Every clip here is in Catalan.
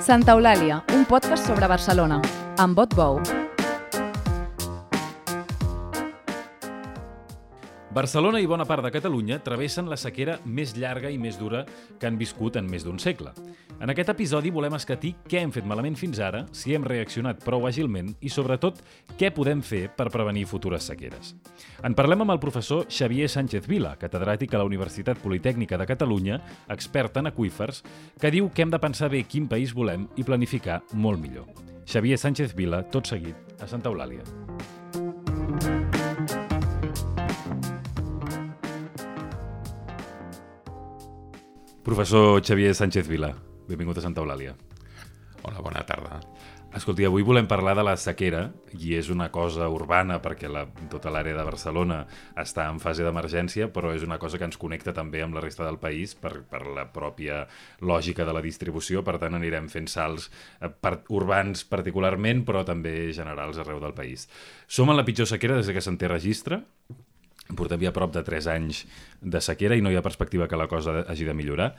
Santa Eulàlia, un podcast sobre Barcelona, amb Bot Bou. Barcelona i bona part de Catalunya travessen la sequera més llarga i més dura que han viscut en més d'un segle. En aquest episodi volem escatir què hem fet malament fins ara, si hem reaccionat prou àgilment i, sobretot, què podem fer per prevenir futures sequeres. En parlem amb el professor Xavier Sánchez Vila, catedràtic a la Universitat Politècnica de Catalunya, expert en aqüífers, que diu que hem de pensar bé quin país volem i planificar molt millor. Xavier Sánchez Vila, tot seguit, a Santa Eulàlia. Professor Xavier Sánchez Vila, benvingut a Santa Eulàlia. Hola, bona tarda. Escolti, avui volem parlar de la sequera, i és una cosa urbana perquè tota l'àrea de Barcelona està en fase d'emergència, però és una cosa que ens connecta també amb la resta del país per la pròpia lògica de la distribució. Per tant, anirem fent salts urbans particularment, però també generals arreu del país. Som en la pitjor sequera des que se'n té registre. Portem ja prop de 3 anys de sequera i no hi ha perspectiva que la cosa hagi de millorar.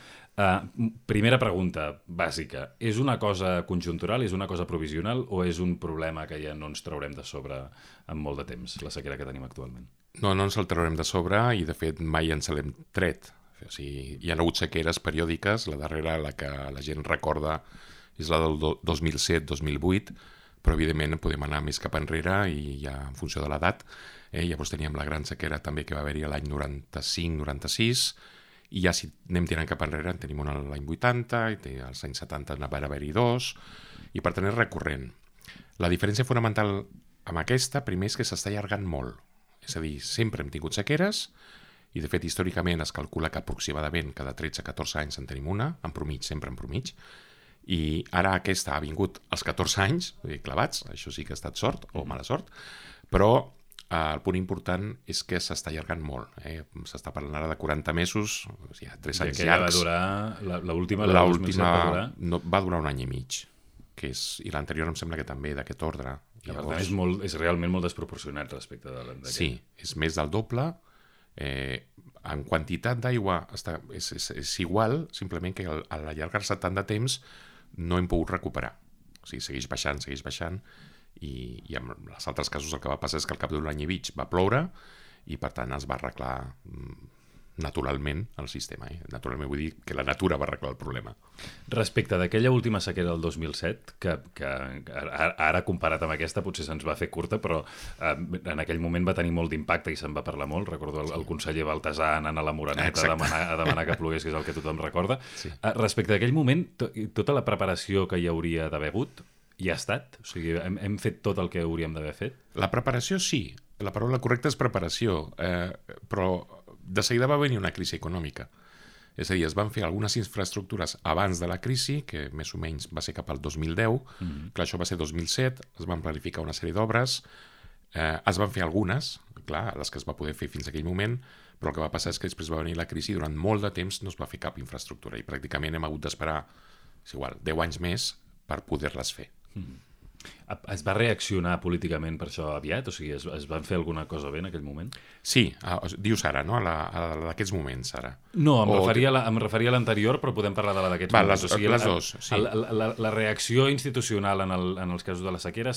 Primera pregunta bàsica. És una cosa conjuntural, és una cosa provisional o és un problema que ja no ens traurem de sobre en molt de temps, la sequera que tenim actualment? No ens el traurem de sobre i, de fet, mai ens l'hem tret. O sigui, hi ha hagut sequeres periòdiques, la darrera, la que la gent recorda, és la del 2007-2008, però, evidentment, podem anar més cap enrere i ja en funció de l'edat. Llavors teníem la gran sequera també que va haver-hi l'any 95-96 i ja si anem tirant cap enrere en tenim una l'any 80 i als anys 70 va haver-hi 2 i per tant és recurrent. La diferència fonamental amb aquesta primer és que s'està allargant molt, és a dir, sempre hem tingut sequeres i de fet històricament es calcula que aproximadament cada 13-14 anys en tenim una, en promig, sempre en promig, i ara aquesta ha vingut als 14 anys clavats, això sí que ha estat sort o mala sort, però el punt important és que s'està allargant molt. S'està parlant ara de 40 mesos, o sigui, 3 anys llargs. I va durar, l'última va durar? No, va durar un any i mig, i l'anterior em sembla que també d'aquest ordre. Llavors, és realment molt desproporcionat respecte d'aquest. Sí, és més del doble. En quantitat d'aigua és igual, simplement que a l'allargar-se tant de temps no hem pogut recuperar. O sigui, segueix baixant, i en els altres casos el que va passar és que al cap d'un any i mig va ploure i per tant es va arreglar naturalment el sistema. Naturalment vull dir que la natura va arreglar el problema. Respecte d'aquella última sequera del 2007, que ara comparat amb aquesta potser se'ns va fer curta, però en aquell moment va tenir molt d'impacte i se'n va parlar molt. Recordo el conseller Baltasar anant a la Moreneta a demanar que plogués, que és el que tothom recorda. Sí. Respecte d'aquell moment, tota la preparació que hi hauria d'haver hagut hi ha estat? O sigui, hem fet tot el que hauríem d'haver fet? La preparació sí, la paraula correcta és preparació, però de seguida va venir una crisi econòmica. És a dir, es van fer algunes infraestructures abans de la crisi, que més o menys va ser cap al 2010, clar, això va ser 2007, es van planificar una sèrie d'obres, es van fer algunes, clar, les que es va poder fer fins a aquell moment, però el que va passar és que després va venir la crisi i durant molt de temps no es va fer cap infraestructura i pràcticament hem hagut d'esperar, és igual, 10 anys més per poder-les fer. Es va reaccionar políticament per això aviat? O sigui, es van fer alguna cosa bé en aquell moment? Sí, dius ara, no? A d'aquests moments, ara. No, em referia a l'anterior, però podem parlar de la d'aquests moments. Les dos, sí. La reacció institucional en els casos de la sequera ha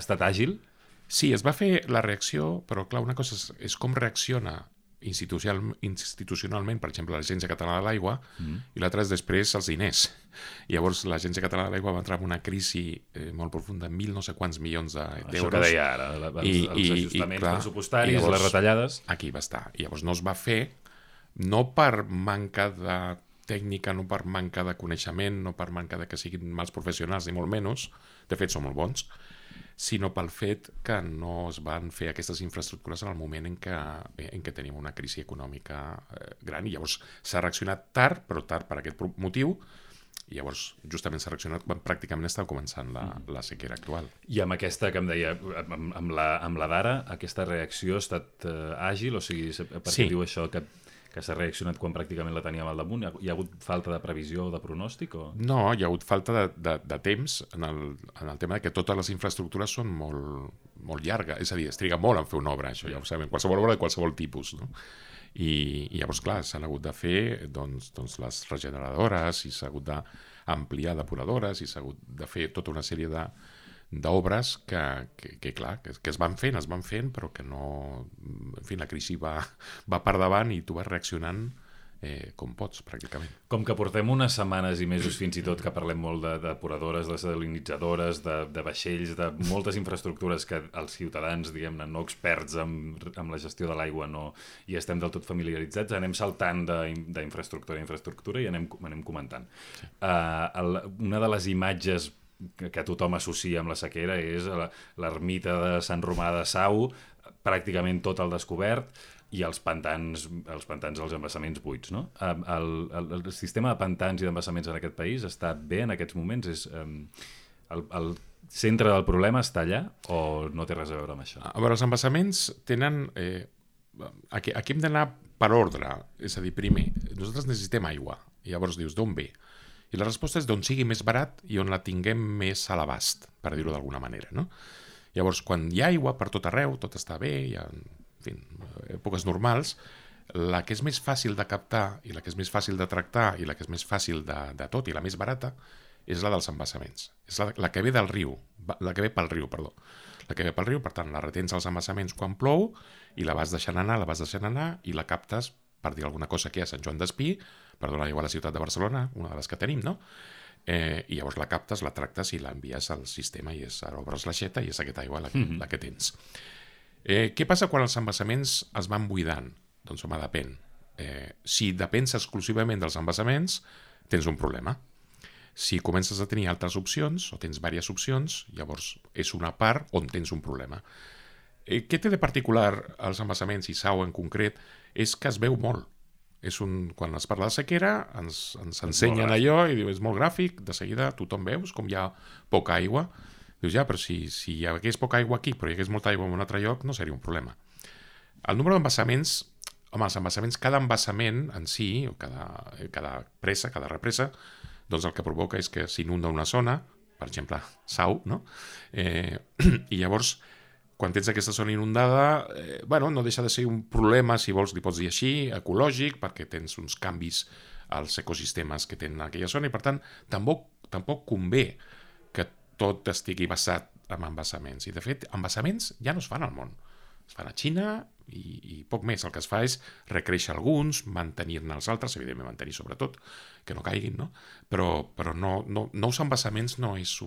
estat àgil? Sí, es va fer la reacció, però clar, una cosa és com reacciona institucionalment, per exemple, l'Agència Catalana de l'Aigua, i l'altra és després els diners. Llavors, l'Agència Catalana de l'Aigua va entrar en una crisi molt profunda, 1.000 no sé quants milions d'euros. Això que deia ara, els ajustaments pressupostaris, llavors, les retallades. Aquí va estar. I llavors no es va fer, no per manca de tècnica, no per manca de coneixement, no per manca de que siguin mals professionals, ni molt menys, de fet són molt bons, sinó pel fet que no es van fer aquestes infraestructures en el moment en què tenim una crisi econòmica gran i llavors s'ha reaccionat tard, però tard per aquest motiu, i llavors justament s'ha reaccionat quan pràcticament estava començant la sequera actual. I amb aquesta que em deia, amb la d'ara, aquesta reacció ha estat àgil? O sigui, per què diu això que s'ha reaccionat quan pràcticament la teníem al damunt? Hi ha hagut falta de previsió o de pronòstic? No, hi ha hagut falta de temps en el tema que totes les infraestructures són molt llargues, és a dir, es triga molt en fer una obra, això ja ho sabem, qualsevol obra de qualsevol tipus, no? I llavors, clar, s'han hagut de fer doncs, les regeneradores i s'ha hagut d'ampliar depuradores i s'ha hagut de fer tota una sèrie d'obres que es van fent, però que no... En fi, la crisi va per davant i tu vas reaccionant com pots, pràcticament. Com que portem unes setmanes i mesos fins i tot que parlem molt de depuradores, de desalinitzadores, de vaixells, de moltes infraestructures que els ciutadans, diguem-ne, no experts amb la gestió de l'aigua hi estem del tot familiaritzats, anem saltant d'infraestructura a infraestructura i anem comentant. Sí. Una de les imatges que tothom associa amb la sequera és l'ermita de Sant Romà de Sau, pràcticament tot al descobert, i els pantans, els embassaments buits, no? El sistema de pantans i d'embassaments en aquest país està bé en aquests moments? El centre del problema està allà o no té res a veure amb això? A veure, els embassaments tenen... Aquí hem d'anar per ordre, és a dir, primer, nosaltres necessitem aigua, i llavors dius, d'on ve? I la resposta és d'on sigui més barat i on la tinguem més a l'abast, per dir-ho d'alguna manera, no? Llavors, quan hi ha aigua per tot arreu, tot està bé, hi ha... En fi, èpoques normals, la que és més fàcil de captar i la que és més fàcil de tractar i la que és més fàcil de tot i la més barata és la dels embassaments. És la que ve del riu, la que ve pel riu, perdó. La que ve pel riu, per tant, la retens als embassaments quan plou i la vas deixant anar i la captes, per dir alguna cosa, aquí a Sant Joan d'Espí, per donar aigua a la ciutat de Barcelona, una de les que tenim, no? I llavors la captes, la tractes i l'envies al sistema i ara obres l'aixeta i és aquesta aigua la que tens. Què passa quan els embassaments es van buidant? Doncs home, depèn. Si depens exclusivament dels embassaments, tens un problema. Si comences a tenir altres opcions, o tens diverses opcions, llavors és una part on tens un problema. Què té de particular els embassaments, i Sau en concret, és que es veu molt. Quan es parla de sequera, ens ensenyen allò i diu, és molt gràfic, de seguida tothom veus com hi ha poca aigua. Dius, ja, però si hi hagués poca aigua aquí, però hi hagués molta aigua en un altre lloc, no seria un problema. El número d'embassaments, home, els embassaments, cada embassament en si, o cada represa, doncs el que provoca és que s'inunda una zona, per exemple, Sau, no? I llavors, quan tens aquesta zona inundada, no deixa de ser un problema, si vols, li pots dir així, ecològic, perquè tens uns canvis als ecosistemes que tenen aquella zona, i per tant, tampoc convé que tot estigui basat en embassaments. I, de fet, embassaments ja no es fan al món. Es fan a Xina i poc més. El que es fa és recréixer alguns, mantenir-ne els altres, evidentment mantenir sobretot, que no caiguin, no? Però nous embassaments no és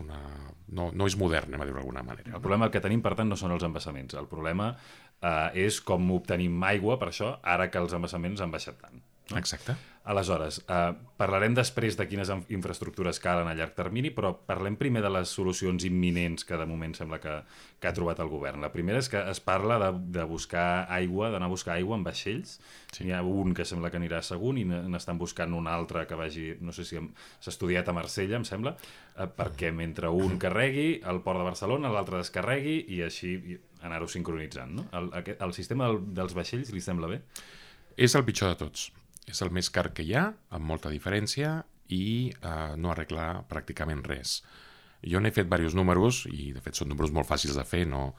modern, anem a dir d'alguna manera. El problema que tenim, per tant, no són els embassaments. El problema és com obtenim aigua, per això, ara que els embassaments han baixat tant. No? Exacte. Aleshores, parlarem després de quines infraestructures calen a llarg termini, però parlem primer de les solucions imminents que de moment sembla que ha trobat el govern. La primera és que es parla de buscar aigua, d'anar a buscar aigua en vaixells. Sí. N'hi ha un que sembla que anirà a Sagunt i n'estan buscant un altre que vagi, no sé si s'ha estudiat a Marsella, em sembla, perquè mentre un carregui al port de Barcelona, l'altre descarregui i així anar-ho sincronitzant. No? El sistema dels vaixells li sembla bé? És el pitjor de tots. És el més car que hi ha, amb molta diferència, i no arregla pràcticament res. Jo n'he fet diversos números, i de fet són números molt fàcils de fer. No?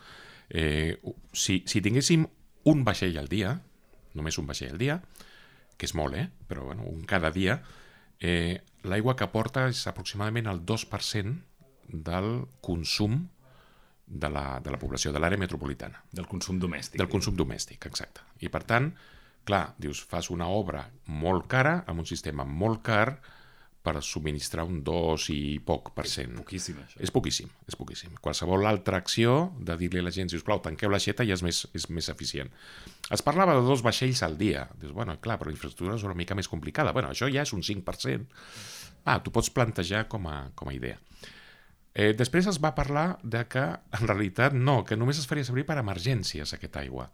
Si tinguéssim un vaixell al dia, només un vaixell al dia, que és molt, però un cada dia, l'aigua que aporta és aproximadament el 2% del consum de la població, de l'àrea metropolitana. Del consum domèstic. Del consum domèstic, exacte. I per tant, clar, dius, fas una obra molt cara amb un sistema molt car per subministrar un 2 i poc %. És poquíssim, això. És poquíssim. Qualsevol altra acció de dir-li a la gent, sisplau, tanqueu l'aixeta, ja és més eficient. Es parlava de 2 vaixells al dia. Dius, clar, però la infraestructura és una mica més complicada. Això ja és un 5%. Tu pots plantejar com a idea. Després es va parlar de que, en realitat, no, que només es faria servir per emergències aquesta aigua.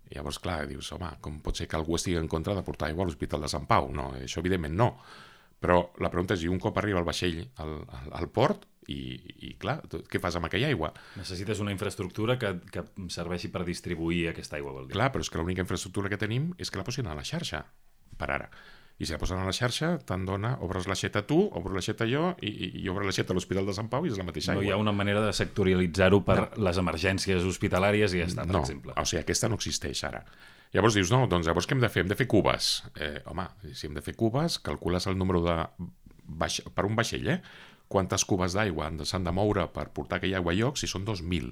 I llavors, clar, dius, home, com pot ser que algú estigui en contra de portar aigua a l'Hospital de Sant Pau? No, això evidentment no. Però la pregunta és, un cop arriba el vaixell al port, i clar, què fas amb aquella aigua? Necessites una infraestructura que serveixi per distribuir aquesta aigua, vol dir. Clar, però és que l'única infraestructura que tenim és que la posin a la xarxa, per ara. I si la posen a la xarxa, te'n dona, obres l'aixeta tu, obres l'aixeta jo, i obres l'aixeta a l'Hospital de Sant Pau i és la mateixa aigua. No hi ha una manera de sectorialitzar-ho per les emergències hospitalàries i ja està, per exemple. O sigui, aquesta no existeix ara. Llavors dius, no, doncs llavors què hem de fer? Hem de fer cubes. Home, si hem de fer cubes, calcules el número per un vaixell, quantes cubes d'aigua s'han de moure per portar aquella aigua a lloc, si són 2.000.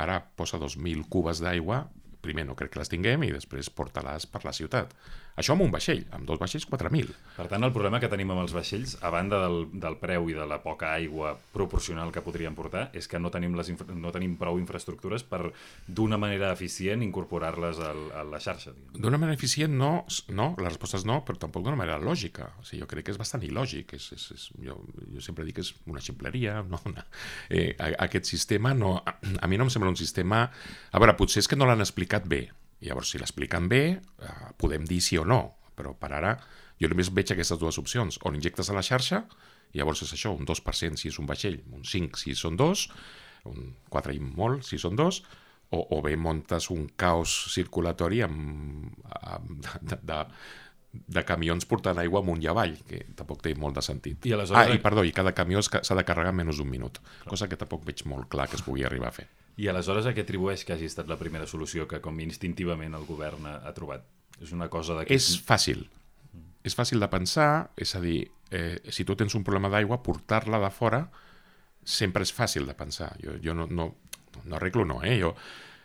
Ara posa 2.000 cubes d'aigua, primer no crec que les tinguem i després porta-les per la ciutat. Això amb un vaixell, amb 2 vaixells 4.000. Per tant, el problema que tenim amb els vaixells, a banda del preu i de la poca aigua proporcional que podrien portar, és que no tenim prou infraestructures per, d'una manera eficient, incorporar-les a la xarxa. D'una manera eficient no, la resposta és no, però tampoc d'una manera lògica. O sigui, jo crec que és bastant il·lògic. Jo sempre dic que és una ximpleria. No, aquest sistema, no, a mi no em sembla un sistema... A veure, potser és que no l'han explicat bé. Llavors, si l'expliquen bé, podem dir sí o no, però per ara jo només veig aquestes dues opcions. O l'injectes a la xarxa, i llavors és això, un 2% si és un vaixell, un 5% si són 2, un 4% i molt si són 2, o bé muntes un caos circulatori de camions portant aigua amunt i avall, que tampoc té molt de sentit. I aleshores... I cada camió s'ha de carregar en menys d'un minut, cosa que tampoc veig molt clar que es pugui arribar a fer. I aleshores a què atribueix que hagi estat la primera solució que com instintivament el govern ha trobat? És una cosa de... És fàcil. És fàcil de pensar, és a dir, si tu tens un problema d'aigua, portar-la de fora sempre és fàcil de pensar. Jo no arreglo, no.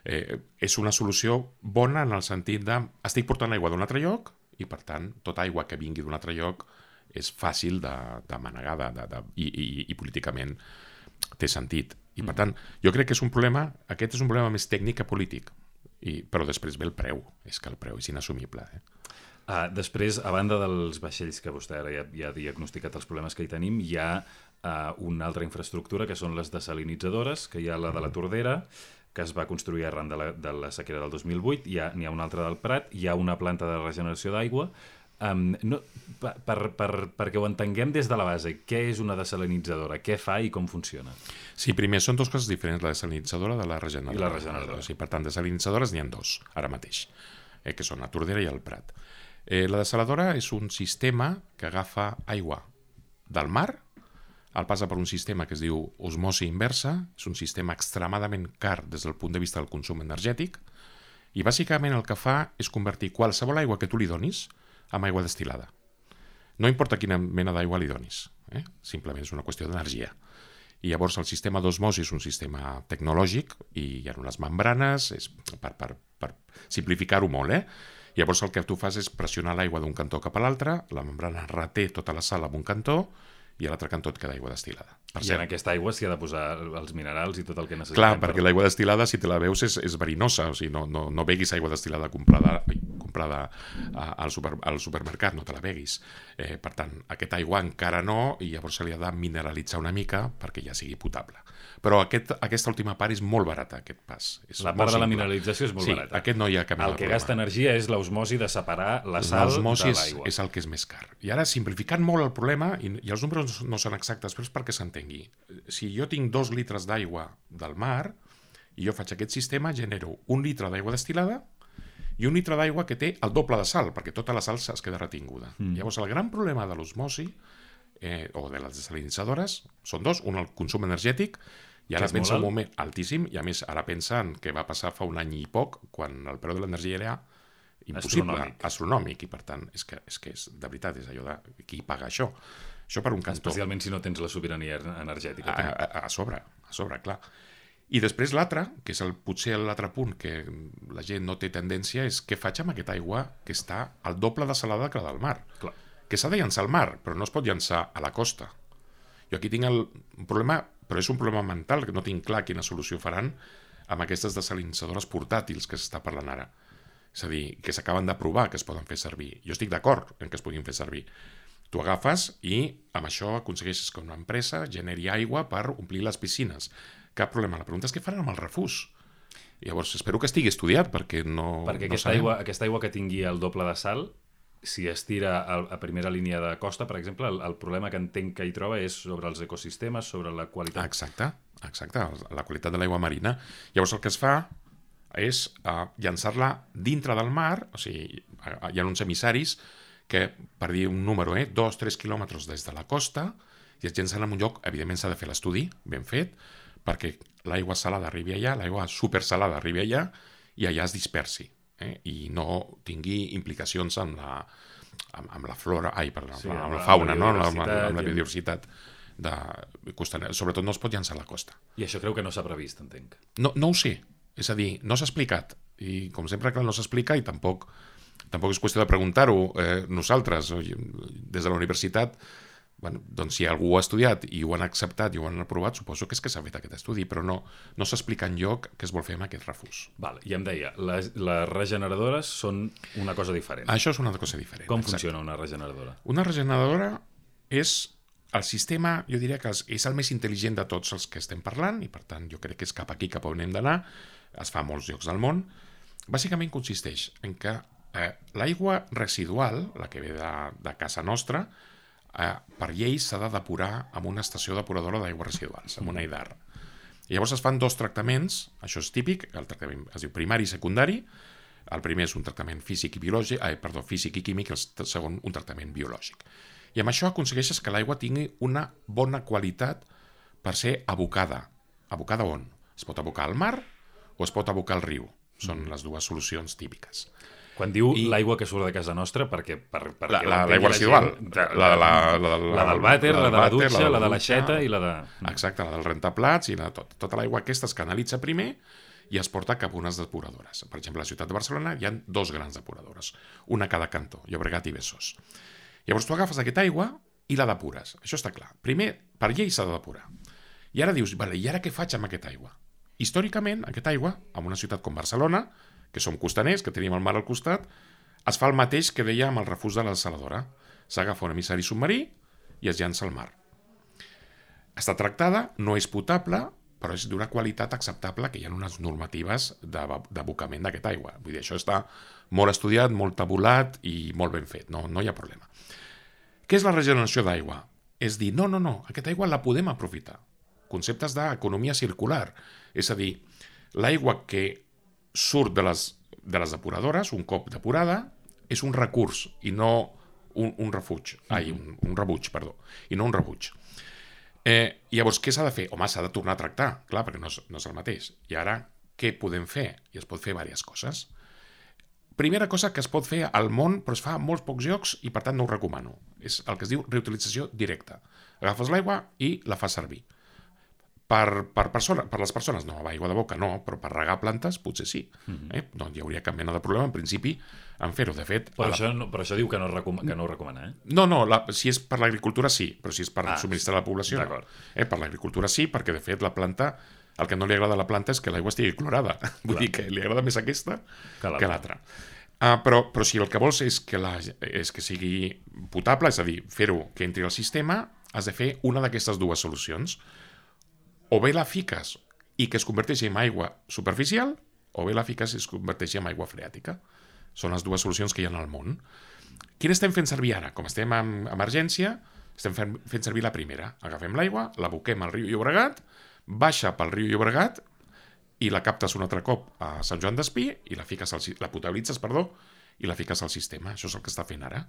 És una solució bona en el sentit de estic portant aigua d'un altre lloc i, per tant, tota aigua que vingui d'un altre lloc és fàcil de manegar i políticament té sentit. I, per tant, jo crec que és un problema, aquest és un problema més tècnic que polític, però després ve el preu, és que el preu és inassumible. Després, a banda dels vaixells, que vostè ara ja ha diagnosticat els problemes que hi tenim, hi ha una altra infraestructura, que són les desalinitzadores, que hi ha la de la Tordera, que es va construir arran de la sequera del 2008, n'hi ha una altra del Prat, hi ha una planta de regeneració d'aigua. Perquè ho entenguem des de la base, què és una desalinitzadora, què fa i com funciona? Sí, primer, són dues coses diferents, la desalinitzadora de la regeneradora. I la regeneradora. Sí, per tant, desalinitzadores n'hi ha 2, ara mateix, que són la Tordera i el Prat. La desaladora és un sistema que agafa aigua del mar, el passa per un sistema que es diu osmosi inversa, és un sistema extremadament car des del punt de vista del consum energètic, i bàsicament el que fa és convertir qualsevol aigua que tu li donis amb aigua destil·lada. No importa quina mena d'aigua li donis, simplement és una qüestió d'energia. I llavors el sistema d'osmosi és un sistema tecnològic i hi ha unes membranes, és per simplificar-ho molt. Llavors el que tu fas és pressionar l'aigua d'un cantó cap a l'altre, la membrana reté tota la sal en un cantó i a l'altre cantó et queda aigua destil·lada. I en aquesta aigua s'hi ha de posar els minerals i tot el que necessitem. Clar, perquè l'aigua destil·lada, si te la veus, és verinosa. O sigui, no beguis aigua destil·lada comprada al supermercat, no te la beguis. Per tant, aquesta aigua encara no, i llavors se li ha de mineralitzar una mica perquè ja sigui potable. Però aquesta última part és molt barata, aquest pas. La part de la mineralització és molt barata. Sí, aquest no hi ha cap mena de problema. El que gasta energia és l'osmosi de separar la sal de l'aigua. L'osmosi és el que és més car. I ara, simplificant molt el problema, i els números no són exactes, però és perquè s'entengui. Si jo tinc 2 litres d'aigua del mar, i jo faig aquest sistema, genero 1 litre d'aigua destil·lada i 1 litre d'aigua que té el doble de sal, perquè tota la sal es queda retinguda. Llavors, el gran problema de l'osmosi, o de les desalinitzadores, són 2. Un, el consum energètic, i ara pensa un moment altíssim, i a més ara pensa en què va passar fa un any i poc, quan el preu de l'energia era impossible, astronòmic, i per tant, és que de veritat, és allò de qui paga això. Això per un cantó. Especialment si no tens la sobirania energètica. A sobre, clar. I després l'altre, que és potser l'altre punt que la gent no té tendència, és què faig amb aquesta aigua que està al doble de salada que la del mar. Clar. Que s'ha de llançar al mar, però no es pot llançar a la costa. Jo aquí tinc un problema, però és un problema mental, que no tinc clar quina solució faran amb aquestes desalinitzadores portàtils que s'està parlant ara. És a dir, que s'acaben de provar que es poden fer servir. Jo estic d'acord en que es puguin fer servir. Tu agafes i amb això aconsegueixes que una empresa generi aigua per omplir les piscines. Cap problema. La pregunta és què faran amb el refús. Llavors, espero que estigui estudiat, perquè no... Perquè aquesta aigua que tingui el doble de sal, si es tira a primera línia de costa, per exemple, el problema que entenc que hi troba és sobre els ecosistemes, sobre la qualitat. Exacte, la qualitat de l'aigua marina. Llavors el que es fa és llançar-la dintre del mar, o sigui, hi ha uns emissaris que, per dir un número, 2-3 quilòmetres des de la costa, i es llancen en un lloc, evidentment s'ha de fer l'estudi, ben fet, perquè l'aigua salada arribi allà, l'aigua supersalada arribi allà, i allà es dispersi. i no tingui implicacions amb la flora, amb la fauna, amb la biodiversitat costanera. Sobretot no es pot llançar a la costa. I això creu que no s'ha previst, entenc. No ho sé, és a dir, no s'ha explicat, i com sempre clar, no s'explica, i tampoc és qüestió de preguntar-ho nosaltres, des de la universitat. Doncs si algú ho ha estudiat i ho han acceptat i ho han aprovat, suposo que és que s'ha fet aquest estudi, però no s'explica enlloc què es vol fer amb aquest refús. I em deia, les regeneradores són una cosa diferent. Això és una cosa diferent. Com funciona una regeneradora? Una regeneradora és el sistema, jo diria que és el més intel·ligent de tots els que estem parlant, i per tant jo crec que és cap aquí cap on hem d'anar, es fa a molts llocs del món. Bàsicament consisteix en que l'aigua residual, la que ve de casa nostra, per llei s'ha de depurar amb una estació depuradora d'aigües residuals, amb una EIDAR. Llavors es fan 2 tractaments, això és típic, el tractament es diu primari i secundari. El primer és un tractament físic i químic, el segon un tractament biològic. I amb això aconsegueixes que l'aigua tingui una bona qualitat per ser abocada. Abocada on? Es pot abocar al mar o es pot abocar al riu. Són les dues solucions típiques. Quan diu l'aigua que surt de casa nostra, perquè l'aigua residual. La del vàter, la de la dutxa, la de l'aixeta i la de... Exacte, la del rentaplats i tota l'aigua aquesta es canalitza primer i es porta cap a unes depuradores. Per exemple, a la ciutat de Barcelona hi ha 2 grans depuradores, una a cada cantó, Llobregat i Besòs. Llavors tu agafes aquesta aigua i la depures. Això està clar. Primer, per llei s'ha de depurar. I ara dius, i ara què faig amb aquesta aigua? Històricament, aquesta aigua, en una ciutat com Barcelona, que som costaners, que tenim el mar al costat, es fa el mateix que deia amb el refús de la desaladora. S'agafa un emissari submarí i es llança al mar. Està tractada, no és potable, però és d'una qualitat acceptable, que hi ha unes normatives d'abocament d'aquesta aigua. Vull dir, això està molt estudiat, molt tabulat i molt ben fet, no hi ha problema. Què és la regeneració d'aigua? És dir, no, aquesta aigua la podem aprofitar. Conceptes d'economia circular, és a dir, l'aigua que surt de les depuradores, un cop depurada, és un recurs i no un refuig. Un rebuig, perdó, i no un rebuig. Llavors, què s'ha de fer? Home, s'ha de tornar a tractar, clar, perquè no és el mateix. I ara, què podem fer? I es pot fer diverses coses. Primera cosa que es pot fer al món, però es fa a molts pocs llocs i per tant no ho recomano. És el que es diu reutilització directa. Agafes l'aigua i la fas servir. Per les persones, no, aigua de boca no, però per regar plantes potser sí. No hi hauria cap mena de problema, en principi, en fer-ho. De fet... Però això diu que no ho recomana, eh? No, si és per l'agricultura sí, però si és per subministrar a la població no. Per l'agricultura sí, perquè de fet la planta, el que no li agrada a la planta és que l'aigua estigui clorada. Vull dir que li agrada més aquesta que l'altra. Però si el que vols és que sigui potable, és a dir, fer-ho que entri al sistema, has de fer una d'aquestes 2 solucions. O bé la fiques i que es converteixi en aigua superficial, o bé la fiques i es converteixi en aigua freàtica. Són les 2 solucions que hi ha al món. Quina estem fent servir ara? Com estem en emergència, estem fent servir la primera. Agafem l'aigua, l'aboquem al riu Llobregat, baixa pel riu Llobregat i la captes un altre cop a Sant Joan d'Espí i la potabilitzes, i la fiques al sistema. Això és el que està fent ara.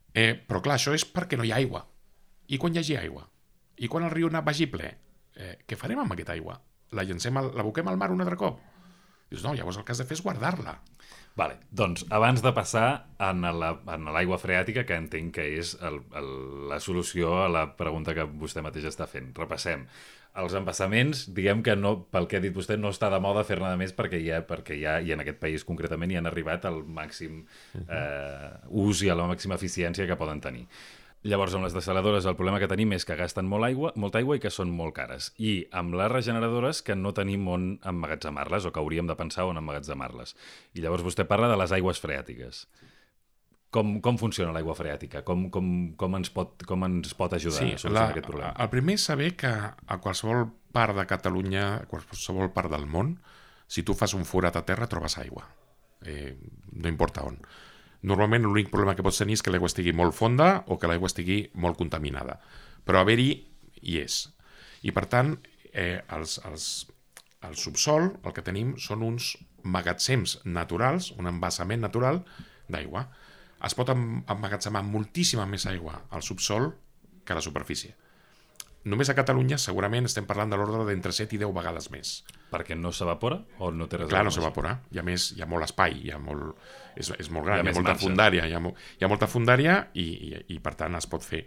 Però clar, això és perquè no hi ha aigua. I quan hi hagi aigua? I quan el riu vagi ple? Què farem amb aquesta aigua? L'aboquem al mar un altre cop? Dius, no, llavors el que has de fer és guardar-la. Vale, doncs, abans de passar en l'aigua freàtica, que entenc que és la solució a la pregunta que vostè mateix està fent, repassem. Els embassaments, diguem que no, pel que ha dit vostè, no està de moda fer-ne de més perquè ja, i en aquest país concretament, hi han arribat al màxim ús i a la màxima eficiència que poden tenir. Llavors, amb les desaladores el problema que tenim és que gasten molta aigua i que són molt cares. I amb les regeneradores que no tenim on emmagatzemar-les o que hauríem de pensar on emmagatzemar-les. I llavors vostè parla de les aigües freàtiques. Com funciona l'aigua freàtica? Com ens pot ajudar a solucionar aquest problema? El primer és saber que a qualsevol part de Catalunya, a qualsevol part del món, si tu fas un forat a terra trobes aigua. No importa on. Normalment l'únic problema que pots tenir és que l'aigua estigui molt fonda o que l'aigua estigui molt contaminada. Però haver-hi hi és. I per tant, al subsol el que tenim són uns magatzems naturals, un embassament natural d'aigua. Es pot emmagatzemar moltíssima més aigua al subsol que a la superfície. només a Catalunya segurament estem parlant de l'ordre d'entre 7 i 10 vegades més. Perquè no s'evapora o no té res Clar, a no veure amb s'evapora. I a més, hi ha molt espai, és molt gran, Hi ha hi ha més molta marge. fundària, hi ha molta fundària i per tant es pot fer.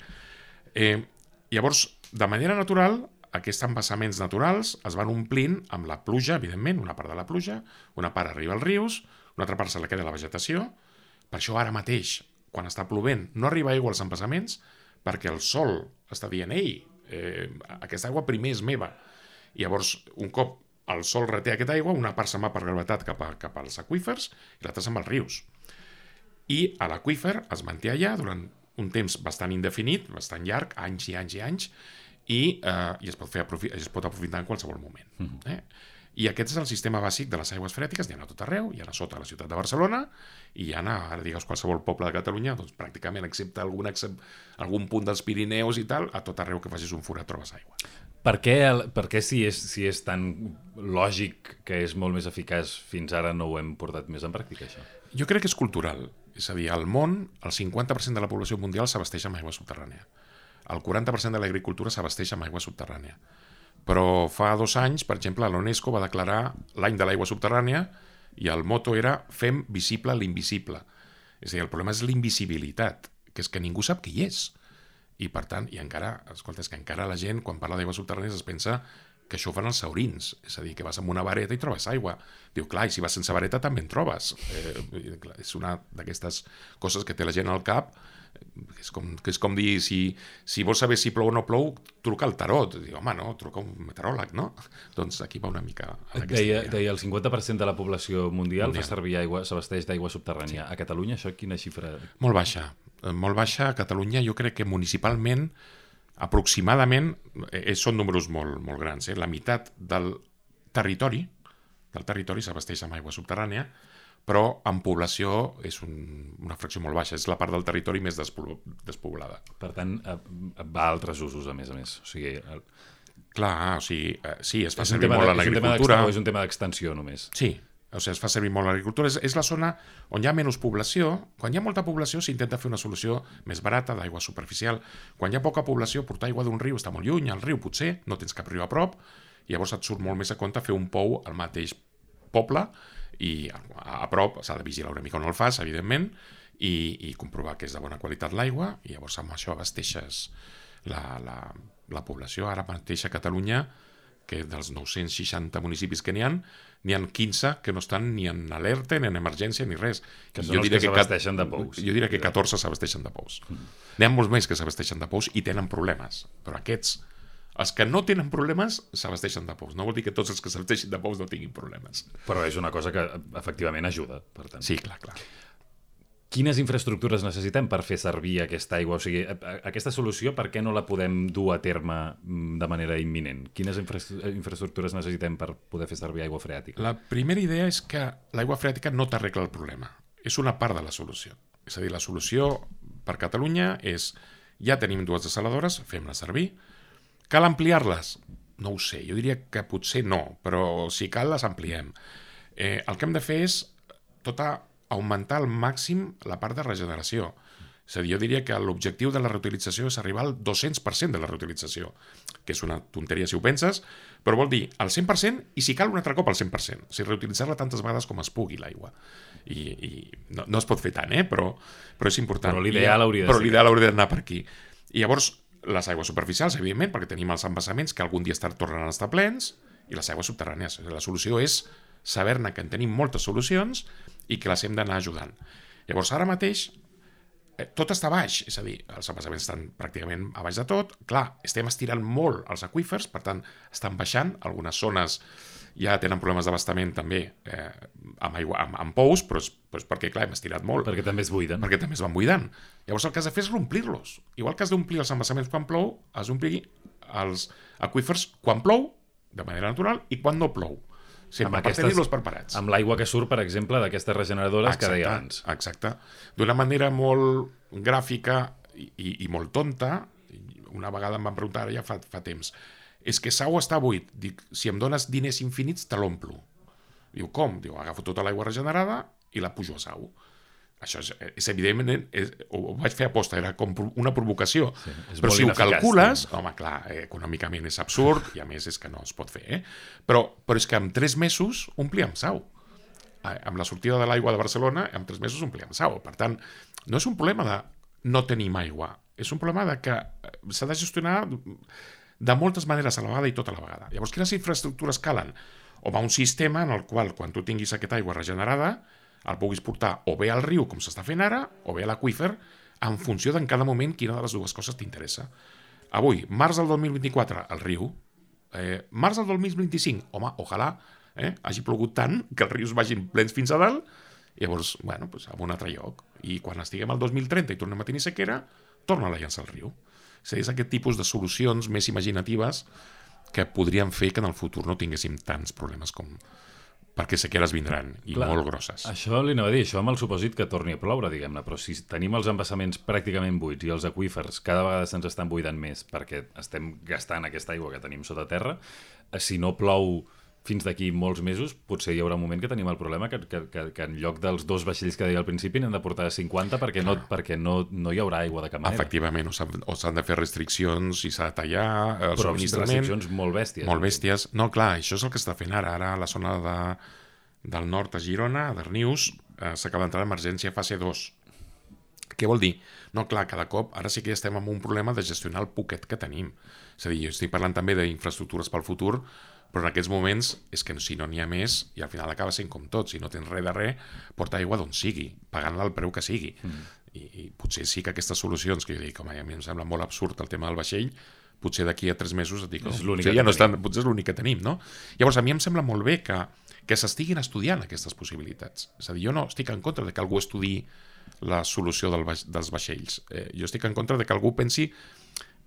Llavors, de manera natural, aquests embassaments naturals es van omplint amb la pluja, evidentment, una part de la pluja, una part arriba als rius, una altra part se la queda la vegetació. Per això ara mateix, quan està plovent, no arriba aigua als embassaments perquè el sol està dient «Ei, aquesta aigua primer és meva». I llavors, un cop el sol reté aquesta aigua, una part se'n va per gravetat cap als aqüífers i l'altra se'n va als rius. I a l'aqüífer es manté allà durant un temps bastant indefinit, bastant llarg, anys i anys i anys, i es pot aprofitar en qualsevol moment. I aquest és el sistema bàsic de les aigües freàtiques, n'hi ha a tot arreu, hi ha a sota la ciutat de Barcelona, i hi ha ara digues qualsevol poble de Catalunya, doncs pràcticament, excepte algun punt dels Pirineus i tal, a tot arreu que facis un forat trobes aigua. Per què si és tan lògic que és molt més eficaç, fins ara no ho hem portat més en pràctica, això? Jo crec que és cultural. És a dir, al món, el 50% de la població mundial s'abasteix amb aigua subterrània. El 40% de l'agricultura s'abasteix amb aigua subterrània. Però fa 2 anys, per exemple, la UNESCO va declarar l'any de l'aigua subterrània i el moto era «Fem visible l'invisible». És a dir, el problema és l'invisibilitat, que és que ningú sap què hi és. I per tant, és que encara la gent, quan parla d'aigua subterrània, es pensa que això ho fan els saurins, és a dir, que vas amb una vareta i trobes aigua. Diu, clar, i si vas sense vareta també en trobes. És una d'aquestes coses que té la gent al cap, que és com dir, si vols saber si plou o no plou, truca al tarot. Diu, home, no, truca un meteoròleg, no? Doncs aquí va una mica... Deia el 50% de la població mundial fa servir aigua, s'abasteix d'aigua subterrània. Sí. A Catalunya, això quina xifra? Molt baixa. Molt baixa. A Catalunya jo crec que municipalment, aproximadament, són números molt, molt grans. La meitat del territori s'abasteix amb aigua subterrània, però en població és una fracció molt baixa. És la part del territori més despoblada. Per tant, va a altres usos, a més. O sigui... Clar, o sigui, sí, es fa servir molt en l'agricultura. És un tema d'extensió, només. Sí, o sigui, es fa servir molt en l'agricultura. És la zona on hi ha menys població. Quan hi ha molta població s'intenta fer una solució més barata, d'aigua superficial. Quan hi ha poca població, portar aigua d'un riu està molt lluny, al riu potser, no tens cap riu a prop, i llavors et surt molt més a compte fer un pou al mateix poble, i a prop s'ha de vigilar una mica on el fas, evidentment, i comprovar que és de bona qualitat l'aigua, i llavors amb això abasteixes la població. Ara mateix a Catalunya, que dels 960 municipis que n'hi ha 15 que no estan ni en alerta, ni en emergència, ni res. Que són els que s'abasteixen de pous. Jo diria que 14 s'abasteixen de pous. N'hi ha molts més que s'abasteixen de pous i tenen problemes, però aquests... Els que no tenen problemes s'abasteixen de pous. No vol dir que tots els que s'abasteixin de pous no tinguin problemes. Però és una cosa que efectivament ajuda, per tant. Sí, clar. Quines infraestructures necessitem per fer servir aquesta aigua? O sigui, aquesta solució, per què no la podem dur a terme de manera imminent? Quines infraestructures necessitem per poder fer servir aigua freàtica? La primera idea és que l'aigua freàtica no t'arregla el problema. És una part de la solució. És a dir, la solució per Catalunya és ja tenim 2 desaladores, fem-les servir. Cal ampliar-les? No ho sé, jo diria que potser no, però si cal les ampliem. El que hem de fer és augmentar al màxim la part de regeneració. És a dir, jo diria que l'objectiu de la reutilització és arribar al 200% de la reutilització, que és una tonteria si ho penses, però vol dir al 100% i si cal un altre cop al 100%. O sigui, reutilitzar-la tantes vegades com es pugui, l'aigua. I no es pot fer tant, però és important. Però l'ideal hauria d'anar per aquí. I llavors, les aigües superficials, evidentment, perquè tenim els embassaments que algun dia tornaran a estar plens, i les aigües subterrànies. La solució és saber-ne que en tenim moltes solucions i que les hem d'anar ajudant. Llavors, ara mateix, tot està a baix, és a dir, els embassaments estan pràcticament a baix de tot. Clar, estem estirant molt els aqüífers, per tant, estan baixant. Algunes zones ja tenen problemes d'abastament també amb pous, però és perquè, clar, hem estirat molt. Perquè també es buiden. Perquè també es van buidant. Llavors el que has de fer és omplir-los. Igual que has d'omplir els embassaments quan plou, has d'omplir els aqüífers quan plou, de manera natural, i quan no plou. Sempre per tenir-los preparats. Amb l'aigua que surt, per exemple, d'aquestes regeneradores que deia abans. Exacte. D'una manera molt gràfica i molt tonta, una vegada em van preguntar, ja fa temps, és que Sau està buit. Dic, si em dones diners infinits, te l'omplo. Diu, com? Diu, agafo tota l'aigua regenerada i la pujo a Sau. Això és evidentment, ho vaig fer aposta, era com una provocació. Sí, però si ho calcules, home, clar, econòmicament és absurd i a més és que no es pot fer, però és que en 3 mesos omplíem Sau. Amb la sortida de l'aigua de Barcelona, en 3 mesos omplíem Sau. Per tant, no és un problema de no tenim aigua, és un problema de que s'ha de gestionar de moltes maneres a la vegada i tota la vegada. Llavors, quines infraestructures calen? Home, un sistema en el qual, quan tu tinguis aquesta aigua regenerada, el puguis portar o bé al riu, com s'està fent ara, o bé a l'aqüífer, en funció d'en cada moment quina de les dues coses t'interessa. Avui, març del 2024, al riu. Març del 2025, home, ojalà hagi plogut tant que els rius vagin plens fins a dalt, i llavors, bueno, pues, a un altre lloc. I quan estiguem al 2030 i tornem a tenir sequera, torna a llançar al riu. És aquest tipus de solucions més imaginatives que podrien fer que en el futur no tinguéssim tants problemes com... perquè sequeres vindran, i clar, molt grosses. Això li anava a dir, això amb el supòsit que torni a ploure, diguem-ne, però si tenim els embassaments pràcticament buits i els aqüífers cada vegada se'ns estan buidant més perquè estem gastant aquesta aigua que tenim sota terra, si no plou fins d'aquí molts mesos, potser hi haurà un moment que tenim el problema que en lloc dels 2 vaixells que deia al principi n'hem de portar 50 perquè no hi haurà aigua de cap manera. Efectivament, o s'han de fer restriccions i s'ha de tallar el però subministrament. Restriccions molt bèsties. Molt bèsties. No, clar, això és el que està fent ara. Ara a la zona del nord a Girona, a Darnius, s'acaba d'entrar l'emergència fase 2. Què vol dir? No, clar, cada cop, ara sí que ja estem amb un problema de gestionar el poquet que tenim. És a dir, jo estic parlant també d'infraestructures pel futur, però en aquests moments és que si no n'hi ha més i al final acaba sent com tot, si no tens res de res, porta aigua d'on sigui, pagant-la al preu que sigui. I potser sí que aquestes solucions que jo dic, home, a mi em sembla molt absurd el tema del vaixell, potser d'aquí a 3 mesos et dic, potser és l'únic que tenim, no? Llavors a mi em sembla molt bé que s'estiguin estudiant aquestes possibilitats. És a dir, jo no estic en contra de que algú estudiï la solució dels vaixells. Jo estic en contra de que algú pensi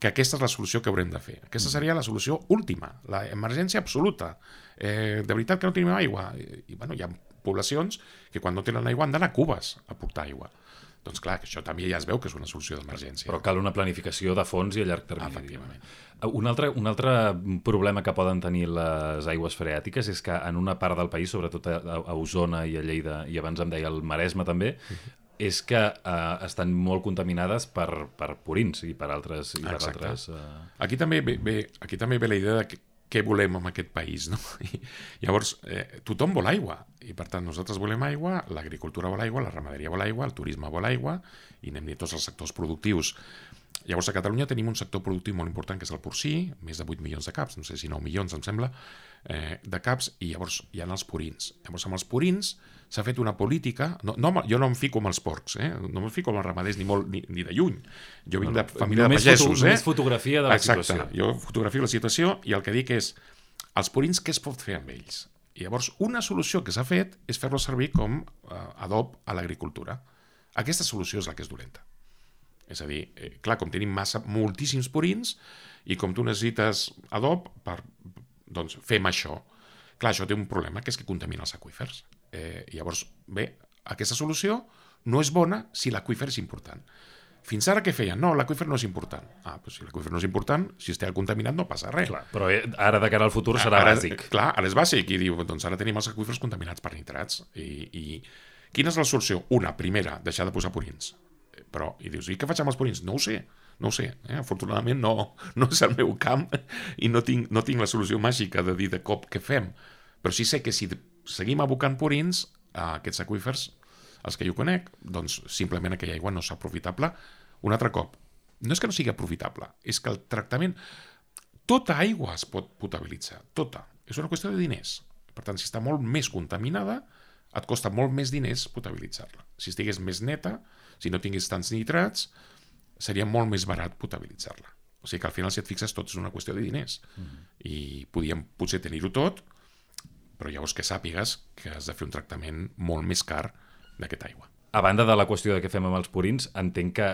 que aquesta és la solució que haurem de fer. Aquesta seria la solució última, l'emergència absoluta. De veritat que no tenim aigua. I bueno, hi ha poblacions que quan no tenen aigua han d'anar a Cubes a portar aigua. Doncs clar, això també ja es veu que és una solució d'emergència. Però cal una planificació de fons i a llarg termini. Efectivament. Un altre problema que poden tenir les aigües freàtiques és que en una part del país, sobretot a Osona i a Lleida, i abans em deia el Maresme també, és que estan molt contaminades per purins i per altres... Aquí també ve la idea de què volem en aquest país, no? Llavors, tothom vol aigua, i per tant nosaltres volem aigua, l'agricultura vol aigua, la ramaderia vol aigua, el turisme vol aigua, i anem dient tots els sectors productius. Llavors, a Catalunya tenim un sector productiu molt important, que és el porcí, més de 8 milions de caps, no sé si 9 milions, em sembla, de caps, i llavors hi ha els purins. Llavors, amb els purins s'ha fet una política... jo no em fico amb els porcs, no em fico amb els ramaders ni de lluny. Jo vinc de família de pagesos. Només fotografia de la situació. Exacte, jo fotografio la situació i el que dic és els purins què es pot fer amb ells? I llavors una solució que s'ha fet és fer-los servir com adob a l'agricultura. Aquesta solució és la que és dolenta. És a dir, clar, com tenim moltíssims purins i com tu necessites adob, doncs fem això. Clar, això té un problema, que és que contamina els aqüífers. Llavors, bé, aquesta solució no és bona si l'aqüífer és important. Fins ara què feien? No, l'aqüífer no és important. Doncs si l'aqüífer no és important, si està contaminat no passa res. Clar, però ara de cara al futur serà bàsic. Clar, ara és bàsic, i diu, doncs ara tenim els aqüífers contaminats per nitrats. I quina és la solució? Una, primera, deixar de posar purins. Però, i dius, i què faig amb els purins? No ho sé. Afortunadament no és el meu camp i no tinc la solució màgica de dir de cop què fem. Però sí sé que si seguim abocant purins a aquests aqüífers, els que jo conec, doncs simplement aquella aigua no és aprofitable. Un altre cop, no és que no sigui aprofitable, és que el tractament... Tota aigua es pot potabilitzar, tota. És una qüestió de diners. Per tant, si està molt més contaminada, et costa molt més diners potabilitzar-la. Si estigués més neta, si no tingués tants nitrats, seria molt més barat potabilitzar-la. O sigui que al final, si et fixes, tot és una qüestió de diners. I podíem potser tenir-ho tot, però llavors que sàpigues que has de fer un tractament molt més car d'aquesta aigua. A banda de la qüestió de què fem amb els purins, entenc que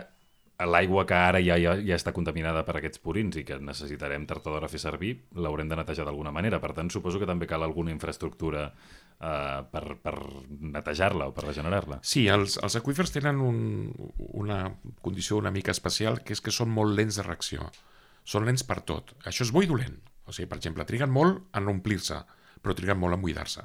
l'aigua que ara ja està contaminada per aquests purins i que necessitarem tard o d'hora fer servir, l'haurem de netejar d'alguna manera. Per tant, suposo que també cal alguna infraestructura per netejar-la o per regenerar-la. Sí, els aqüífers tenen una condició una mica especial, que és que són molt lents de reacció. Són lents per tot. Això és bo i dolent. O sigui, per exemple, triguen molt en omplir-se, però triguen molt en buidar-se.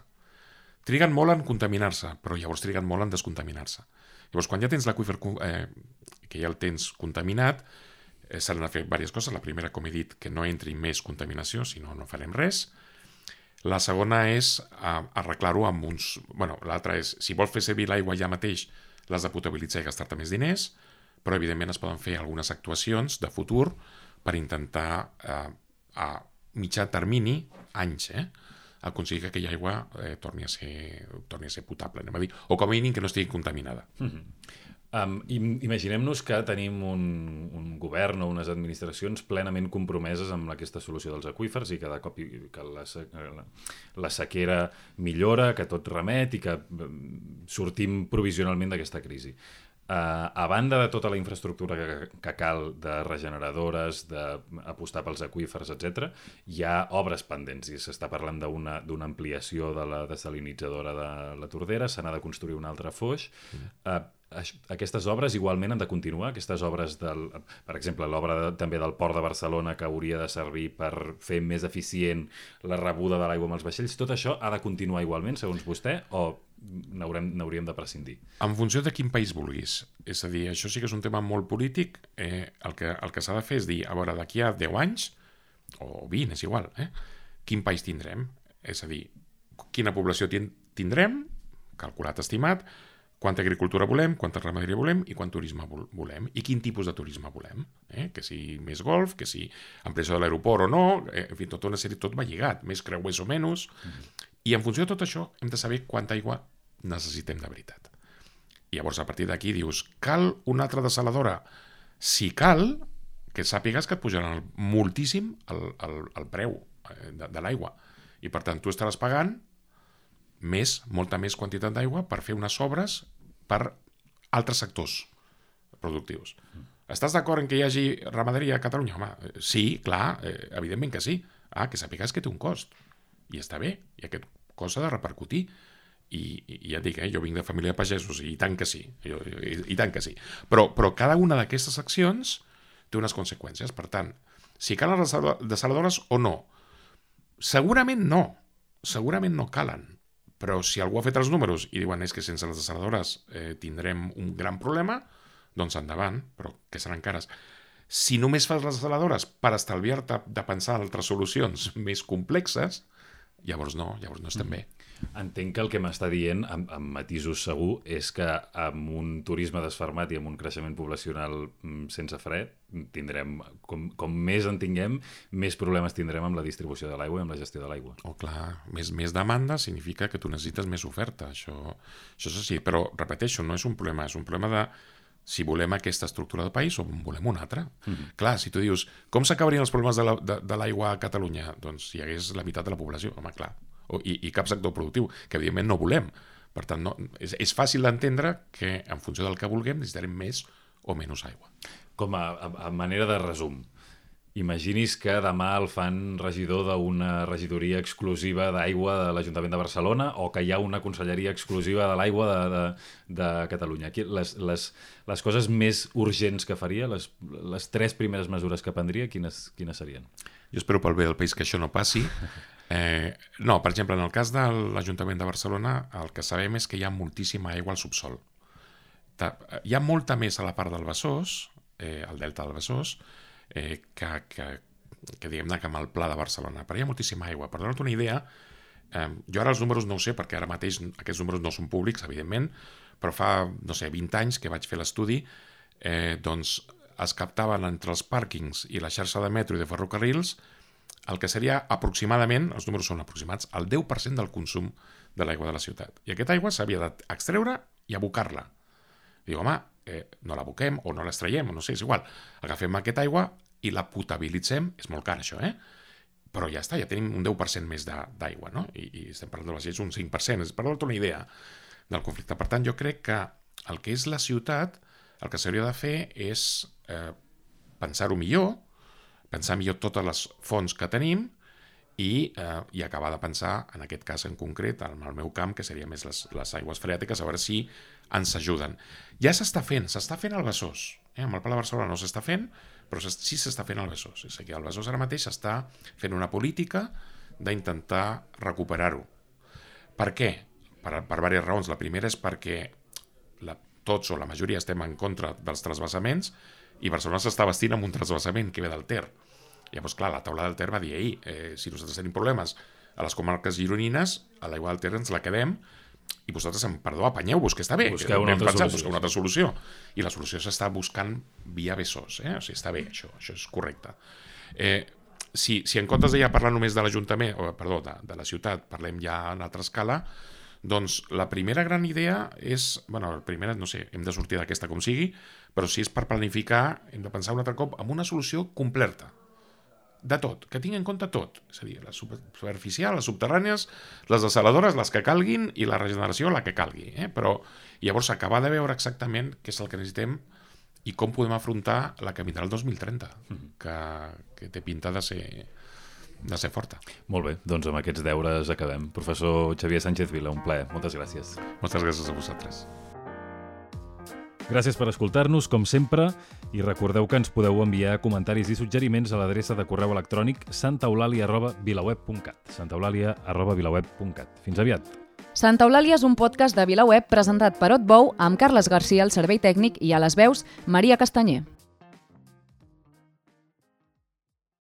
triguen molt en contaminar-se, però llavors triguen molt en descontaminar-se. Llavors, quan ja tens l'aqüífer que ja el tens contaminat, s'han de fer diverses coses. La primera, com he dit, que no entri més contaminació, si no, no farem res. La segona és arreglar-ho amb uns... Bueno, l'altra és, si vols fer servir l'aigua ja mateix, l'has de potabilitzar i gastar-te més diners, però evidentment es poden fer algunes actuacions de futur per intentar a mitjà termini, anys, aconseguir que aquella aigua torni a ser potable, anem a dir, o com a mínim que no estigui contaminada. Imaginem-nos que tenim un govern o unes administracions plenament compromeses amb aquesta solució dels aqüífers i cada cop que la sequera millora, que tot remet i que sortim provisionalment d'aquesta crisi. A banda de tota la infraestructura que cal de regeneradores, d'apostar pels aqüífers, etc., hi ha obres pendents i s'està parlant d'una ampliació de la desalinitzadora de la Tordera, se n'ha de construir un altre foix. Aquestes obres igualment han de continuar, aquestes obres per exemple, l'obra també del Port de Barcelona, que hauria de servir per fer més eficient la rebuda de l'aigua amb els vaixells, tot això ha de continuar igualment, segons vostè, o n'hauríem de prescindir? En funció de quin país vulguis. És a dir, això sí que és un tema molt polític. El que s'ha de fer és dir, a veure, d'aquí a 10 anys, o 20, és igual, quin país tindrem? És a dir, quina població tindrem, calculat, estimat, quanta agricultura volem, quanta ramaderia volem i quant turisme volem, i quin tipus de turisme volem. Que si més golf, que si ampliació de l'aeroport o no, en fi, tota una sèrie, tot va lligat, més creuers o menys, i en funció de tot això hem de saber quanta aigua necessitem de veritat. I llavors a partir d'aquí dius, cal una altra desaladora? Si cal, que sàpigues que et pujaran moltíssim el preu de l'aigua, i per tant tu estaràs pagant molta més quantitat d'aigua per fer unes obres per altres sectors productius. Estàs d'acord en que hi hagi ramaderia a Catalunya? Home, sí, clar, evidentment que sí. Que sàpigues que té un cost. I està bé, i aquest cost s'ha de repercutir. I ja et dic, jo vinc de família de pagesos, i tant que sí. I tant que sí. Però cada una d'aquestes accions té unes conseqüències. Per tant, si calen les desaladores o no? Segurament no calen. Però si algú ha fet els números i diuen és que sense les desaladores tindrem un gran problema, doncs endavant, però que seran cares. Si només fas les desaladores per estalviar-te de pensar en altres solucions més complexes, llavors no estem bé. Entenc que el que m'està dient, amb matisos segur, és que amb un turisme desfermat i amb un creixement poblacional sense fre, tindrem, com més en tinguem, més problemes tindrem amb la distribució de l'aigua i amb la gestió de l'aigua. Clar, més demanda significa que tu necessites més oferta, això és així, però repeteixo, no és un problema, és un problema de si volem aquesta estructura del país o en volem una altra. Clar, si tu dius, com s'acabarien els problemes de l'aigua a Catalunya? Doncs si hi hagués la meitat de la població, home, clar. I cap sector productiu, que evidentment no volem. Per tant, és fàcil d'entendre que en funció del que vulguem necessitarem més o menys aigua. Com a manera de resum, imagini's que demà el fan regidor d'una regidoria exclusiva d'aigua de l'Ajuntament de Barcelona o que hi ha una conselleria exclusiva de l'aigua de Catalunya. Les coses més urgents que faria, les 3 primeres mesures que prendria, quines serien? Jo espero pel bé del país que això no passi. No, per exemple, en el cas de l'Ajuntament de Barcelona, el que sabem és que hi ha moltíssima aigua al subsol. Hi ha molta més a la part del Besòs, el delta del Besòs, que diguem-ne que amb el Pla de Barcelona. Però hi ha moltíssima aigua. Per donar-te una idea, jo ara els números no ho sé, perquè ara mateix aquests números no són públics, evidentment, però fa, 20 anys que vaig fer l'estudi, doncs es captaven entre els pàrquings i la xarxa de metro i de ferrocarrils el que seria aproximadament, els números són aproximats, el 10% del consum de l'aigua de la ciutat. I aquesta aigua s'havia d'extreure i abocar-la. Diu, home, no l'aboquem o no l'extraiem, o no sé, és igual. Agafem aquesta aigua i la potabilitzem, és molt car això, però ja està, ja tenim un 10% més d'aigua, no? I estem parlant de les lleis un 5%, és per donar-te una idea del conflicte. Per tant, jo crec que el que és la ciutat, el que s'hauria de fer és pensar-ho millor, pensar millor totes les fonts que tenim i acabar de pensar, en aquest cas en concret, en el meu camp, que seria més les aigües freàtiques, a veure si ens ajuden. Ja s'està fent al Besòs. Amb el Pla de Barcelona no s'està fent, però sí s'està fent al Besòs. És a dir, el Besòs ara mateix està fent una política d'intentar recuperar-ho. Per què? per diverses raons. La primera és perquè tots o la majoria estem en contra dels transvasaments i Barcelona s'està vestint amb un transvasament que ve del Ter. Llavors, clar, la taula del Ter va dir ahir, si nosaltres tenim problemes a les comarques gironines, a l'aigua del Ter ens la quedem i vosaltres, perdó, apanyeu-vos, que està bé. Busqueu una altra solució. I la solució s'està buscant via Besòs. O sigui, està bé, això és correcte. Si en comptes de ja parlar només de l'Ajuntament, de la ciutat, parlem ja en altra escala, doncs la primera gran idea és, la primera, no sé, hem de sortir d'aquesta com sigui, però si és per planificar, hem de pensar un altre cop en una solució completa. De tot, que tingui en compte tot. És a dir, la superficial, les subterrànies, les desaladores, les que calguin, i la regeneració, la que calgui. Però llavors acabar de veure exactament què és el que necessitem i com podem afrontar la que vindrà el 2030, que té pinta de ser forta. Molt bé, doncs amb aquests deures acabem. Professor Xavier Sánchez Vila, un plaer. Moltes gràcies. Moltes gràcies a vosaltres. Gràcies per escoltar-nos, com sempre, i recordeu que ens podeu enviar comentaris i suggeriments a l'adreça de correu electrònic santaeulàlia@vilaweb.cat santaeulàlia@vilaweb.cat. Fins aviat. Santa Eulàlia és un podcast de VilaWeb presentat per Otbou amb Carles Garcia al servei tècnic i a les veus Maria Castanyer.